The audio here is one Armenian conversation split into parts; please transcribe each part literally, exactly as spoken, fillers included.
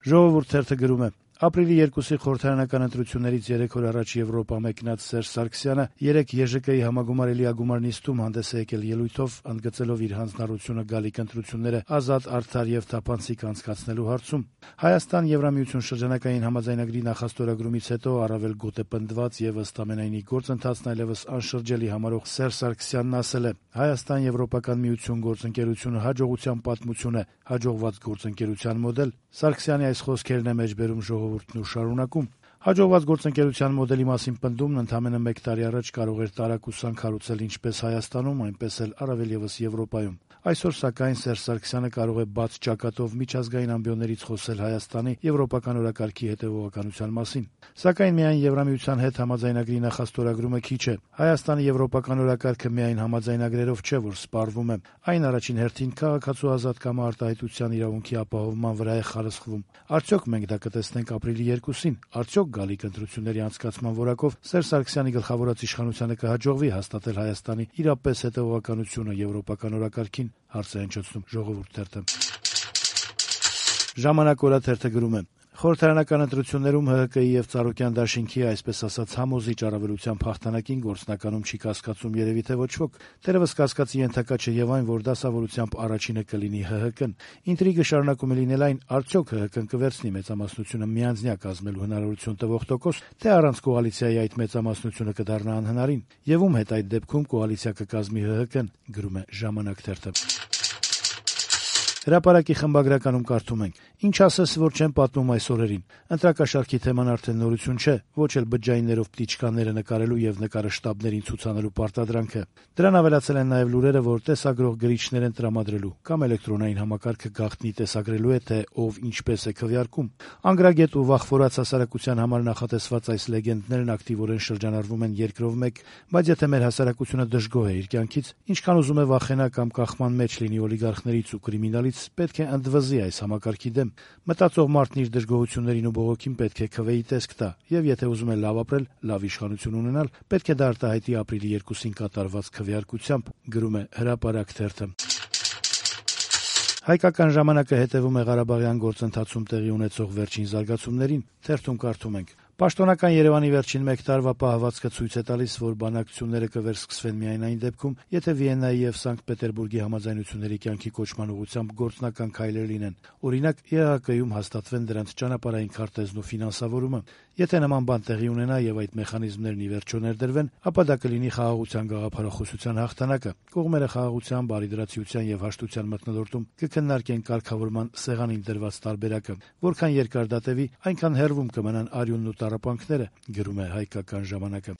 Ժողովուրդ թերթը գրում է. Ապրիլի երկուսի խորհրդարանական ընտրություններից երեք օր առաջ Եվրոպա մեկնած Սերժ Սարգսյանը երեկ Ե Ժ Կ-ի համագումար Էլիագումար նիստում հանդես է եկել ելույթով, ընդգծելով իր հանձնառությունը գալիք ընտրությունները ազատ, արդար եւ թափանցիկ անցկացնելու հարցում։ Հայաստան Եվրամիություն շրջանակային համաձայնագրի նախաստորագրումից հետո առավել գոտեպնդված եւ ըստ ամենայնի գործընթացն այլեւս անշրջելի համարող Սերժ Սարգսյանն ասել է. Հայաստան Եվրոպական միություն գործընկերությունը հաջողության պատմություն է, հաջողված գործընկերության մոդել։ Սարգսյանի այս խոսքերն է մեջբերում ժողովուրդն ու շարունակում. Հաջողված գործընկերության մոդելի մասին պնդումն ընդամենը մեկ տարի առաջ կարող էր տարակ ու սանք հարուցել ինչպես Հայաստանում, այնպես էլ առավել եւս Եվրոպայում։ Այսօր սակայն Սերժ Սարգսյանը կարող է բաց ճակատով միջազգային ամբիոններից խոսել Հայաստանի եվրոպական օրակարգի հետեւողականության մասին։ Սակայն միայն Եվրամիության հետ համաձայնագրի նախաստորագրումը քիչ է։ Հայաստանի եվրոպական օրակարգը միայն համաձայնագրերով չէ, որ սպառվում է։ Այն առաջին հերթին քաղաքացու ազատ կամ արտահայտության իրավունքի ապահովման վրա է խարսխվում։ Արդյոք մենք դա կտեսնենք ապրիլի երկուսին։ Արդյոք գալիք ընտրությունների անցկացման որակով Սերժ Սարգսյանի գլխավորած իշխանությանը կհաջողվի հաստատել Հայաստանի իրապես հետեւողականությունը եվրոպական օրակարգին, հարց է հնչեցնում Ժողովուրդ թերթը։ Ժամանակ օրաթերթը գրում է. Խորհրդարանական ընտրություններում Հ Հ Կ-ի եւ Ծառուկյան դաշինքի, այսպես ասած, համոզիչ առավելության փախտանակին գործնականում չի կասկածում երևի թե ոչ ոք։ Թերևս կասկածի ենթակա չէ եւ այն, որ դասավորությամբ առաջինը կլինի Հ Հ Կն։ Ինտրիգը շարունակում է լինել այն, արդյոք Հ Հ Կն կվերցնի մեծամասնությունը միանձնյա կազմելու հնարավորություն տվող տոկոս, թե առանց կոալիցիայի այդ մեծամասնությունը կդառնա անհնարին, եւ ում հետ այդ դեպքում կոալիցիա կկազմի Հ Հ Կն, գրում է Ժամանակ թերթը։ Հրապարակի խմբագրականում կարդում ենք. Ինչ ասես, որ չեն պատմում այս օրերին։ Ընտրակաշառքի թեման արդեն նորություն չէ, ոչ էլ բջջայիններով պտիչկաները նկարելու եւ նկարը շտաբներին ցուցանելու պարտադրանքը։ Դրան ավելացել են նաեւ լուրերը, որ տեսագրող գրիչներ են տրամադրելու, կամ էլեկտրոնային համակարգը գաղտնի տեսագրելու է, թե ով ինչպես է քվեարկում։ Անգրագետ ու վախվորած հասարակության համար նախատեսված այս լեգենդներն ակտիվորեն շրջանառվում են երկրով մեկ, բայց եթե մեր հասարակությունը դժգոհ է իր կյանքից, ինչքան ուզում է վախենա կամ կախման մեջ լինի օլիգարխներից ու կրիմինալից, պետք է ընդվզի այս համակարգի դեմ։ Մտածող մարդն իր դժգոհություններին ու բողոքին պետք է քվեի տեսք տա, եւ եթե ուզում է լավ ապրել, լավ իշխանություն ունենալ, պետք է դա արտահայտի ապրիլի երկուսին կատարված քվեարկությամբ, գրում է Հրապարակ թերթը։ Հայկական ժամանակը հետևում է Ղարաբաղյան գործընթացում տեղի ունեցող վերջին զարգացումներին, թերթում կարդում ենք. Պաշտոնական Երևանի վերջին մեկ տարվա պահվածքը ցույց է տալիս, որ բանակցությունները կվերսկսվեն միայն այն դեպքում, եթե Վիեննայի եւ Սանկտ Պետերբուրգի համաձայնությունների կյանքի կոչման ուղղությամբ գործնական քայլեր լինեն։ Օրինակ, Ե Հ Կ-ում հաստատվեն դրանց ճանապարհային քարտեզն ու ֆինանսավորումը։ Եթե նման բան տեղի ունենա եւ այդ մեխանիզմներն ի վերջո ներդրվեն, ապա դա կլինի խաղաղության գաղափարախոսության հաղթանակը։ Կողմերը խաղաղության, բարիդրացիության եւ հաշտության մթնոլորտում կքննարկեն կարգավորման սեղանին դրված տարբերակը։ Որքան երկար դա տևի, այնքան հեռվում կմնան արյունն ու տառապանքները, գրում է Հայկական ժամանակը։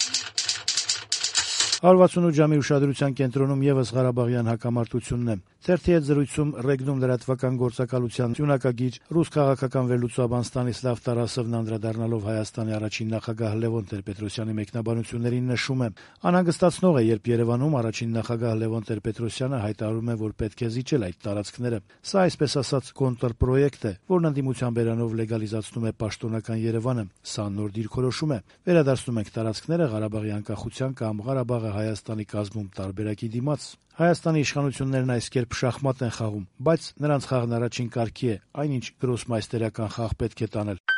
one sixty-eight ժամի ուշադրության կենտրոնում եւս Ղարաբաղյան հակամարտությունն է։ Թերթի հետ զրույցում Ռեգնում լրատվական գործակալության տյունակագիր ռուս քաղաքական վերլուծաբան Ստանիսլավ Տարասովն անդրադառնալով Հայաստանի առաջին նախագահ Լևոն Տեր-Պետրոսյանի մեկնաբանություններին նշում է. անհանգստացնող է, երբ Երևանում առաջին նախագահ Լևոն Տեր-Պետրոսյանը հայտարարում է, որ պետք է զիջել այդ տարածքները։ Սա այսպես ասած կոնտրպրոյեկտ է, որն ընդդիմության բերանով լեգալիզացնում է պաշտոնական Երևանը։ Սա նոր դիրքորոշում է։ Վերադարձնում ենք տարածքները Ղարաբաղի անկախության կամ Ղարաբաղը Հայաստանի կազմում տարբերակի դիմաց։ Հայաստանի իշխանություններն այս կերպ շախմատ են խաղում, բայց նրանց խաղն առաջին կարգի է, այնինչ գրոսմայստերական խաղ պետք է տանել։